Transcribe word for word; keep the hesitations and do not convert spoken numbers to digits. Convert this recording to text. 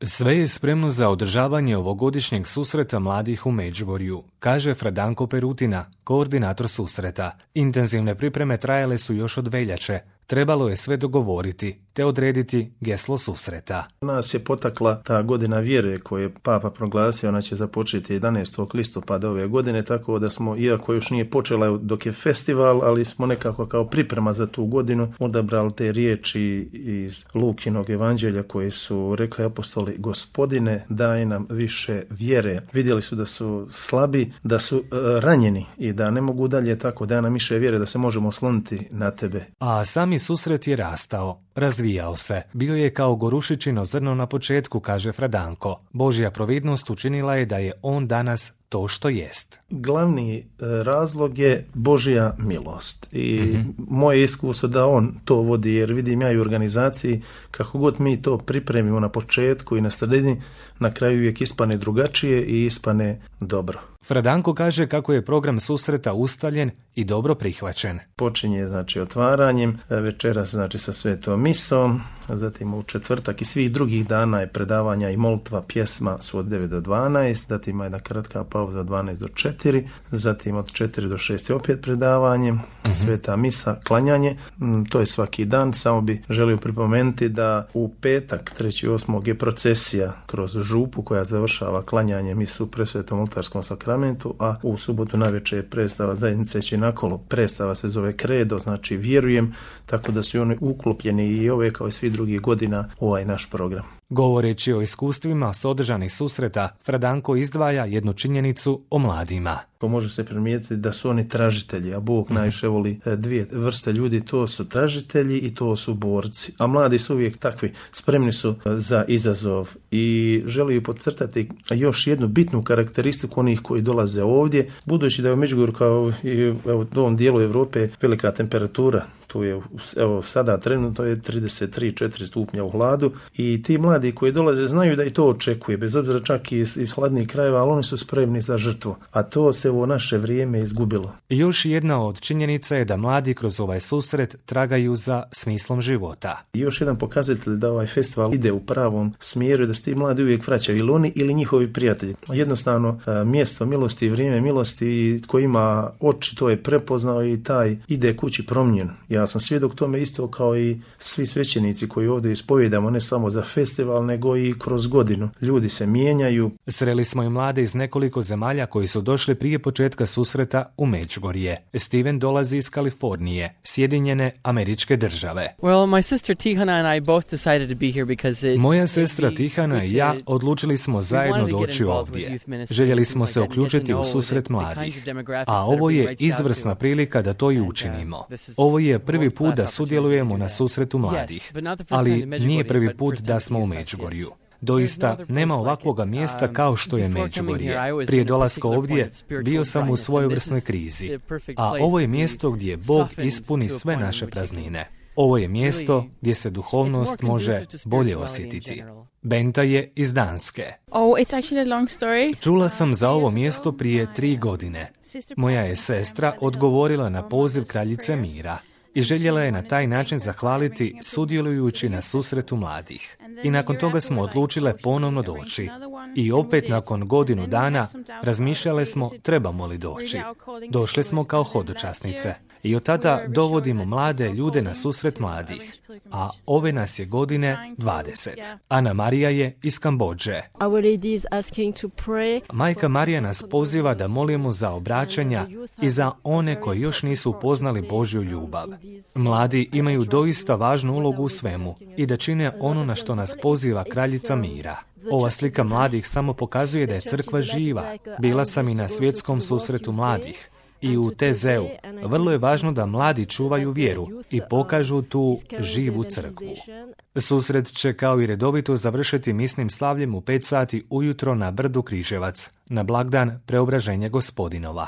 Sve je spremno za održavanje ovogodišnjeg susreta mladih u Međugorju, kaže Fradanko Perutina, koordinator susreta. Intenzivne pripreme trajale su još od veljače. Trebalo je sve dogovoriti, te odrediti geslo susreta. Nas je potakla ta godina vjere koju je Papa proglasio, ona će započeti jedanaestog listopada ove godine, tako da smo, iako još nije počela dok je festival, ali smo nekako kao priprema za tu godinu odabrali te riječi iz Lukinog evanđelja koje su rekli apostoli: Gospodine, daj nam više vjere. Vidjeli su da su slabi, da su uh, ranjeni i da ne mogu dalje, tako daj nam više vjere da se možemo osloniti na tebe. A sami susret je rastao, razvijao se. Bio je kao gorušičino zrno na početku, kaže Fradanko. Božja providnost učinila je da je on danas to što jest. Glavni razlog je Božja milost i mm-hmm. moje iskustvo da on to vodi, jer vidim ja i u organizaciji kako god mi to pripremimo na početku i na sredini, na kraju uvijek ispane drugačije i ispane dobro. Fradanko kaže kako je program susreta ustaljen i dobro prihvaćen. Počinje znači otvaranjem, večeras znači sa svetom misom, zatim u četvrtak i svih drugih dana je predavanja i molitva, pjesma su od devet do dvanaest, zatim jedna kratka pauza od dvanaest do četiri, zatim od četiri do šest je opet predavanje, mm-hmm. sveta misa, klanjanje, to je svaki dan. Samo bi želio pripomenuti da u petak trećeg osmog je procesija kroz župu koja završava klanjanje misu u presvetom oltarskom sakramentu, a u subotu navečer je predstava zajednice Činakolo. Predstava se zove Kredo, znači vjerujem, tako da su oni uklopljeni i ove kao i svi drugih godina u ovaj naš program. Govoreći o iskustvima s održanih susreta, Fradanko izdvaja jednu činjenicu o mladima. Može se primijetiti da su oni tražitelji, a Bog mm. najviše voli dvije vrste ljudi, to su tražitelji i to su borci. A mladi su uvijek takvi, spremni su za izazov i žele podcrtati još jednu bitnu karakteristiku onih koji dolaze ovdje, budući da je u Međugorju kao i u ovom dijelu Europe velika temperatura. Tu je, evo sada trenutno je trideset tri četiri stupnja u hladu i ti mladi koji dolaze znaju da i to očekuje, bez obzira čak i iz, iz hladnih krajeva, ali oni su spremni za žrtvu, a to se u naše vrijeme izgubilo. Još jedna od činjenica je da mladi kroz ovaj susret tragaju za smislom života. I još jedan pokazatelj da ovaj festival ide u pravom smjeru, da se ti mladi uvijek vraćaju, ili oni ili njihovi prijatelji. Jednostavno mjesto milosti, vrijeme milosti, ko ima oči to je prepoznao i taj ide kući promijenjen. Ja sam svjedok tome isto kao i svi svećenici koji ovdje ispovijedamo, ne samo za festival, nego i kroz godinu. Ljudi se mijenjaju. Sreli smo i mlade iz nekoliko zemalja koji su došli prije početka susreta u Međugorje. Steven dolazi iz Kalifornije, Sjedinjene Američke Države. Well, my sister Tihana and I both decided to be here because it, Moja sestra Tihana i ja odlučili smo zajedno doći ovdje. Željeli smo se uključiti u susret mladih, a ovo je izvrsna prilika da to i učinimo. Ovo je prvi put da sudjelujemo na susretu mladih, ali nije prvi put da smo u Međugorju. Doista, nema ovakvoga mjesta kao što je Međugorje. Prije dolaska ovdje bio sam u svojevrsnoj krizi, a ovo je mjesto gdje Bog ispuni sve naše praznine. Ovo je mjesto gdje se duhovnost može bolje osjetiti. Benta je iz Danske. Oh, it's actually a long story. Čula sam za ovo mjesto prije tri godine. Moja je sestra odgovorila na poziv kraljice mira i željela je na taj način zahvaliti sudjelujući na susretu mladih. I nakon toga smo odlučile ponovno doći. I opet nakon godinu dana razmišljale smo trebamo li doći. Došle smo kao hodočasnice. I od tada dovodimo mlade ljude na susret mladih. A ove nas je godine dvadeset. Ana Marija je iz Kambodže. Majka Marija nas poziva da molimo za obraćanja i za one koji još nisu upoznali Božju ljubav. Mladi imaju doista važnu ulogu u svemu i da čine ono na što nas poziva kraljica mira. Ova slika mladih samo pokazuje da je crkva živa. Bila sam i na svjetskom susretu mladih. I u T Z-u vrlo je važno da mladi čuvaju vjeru i pokažu tu živu crkvu. Susret će kao i redovito završiti misnim slavljem u pet sati ujutro na brdu Križevac, na blagdan Preobraženja Gospodinova.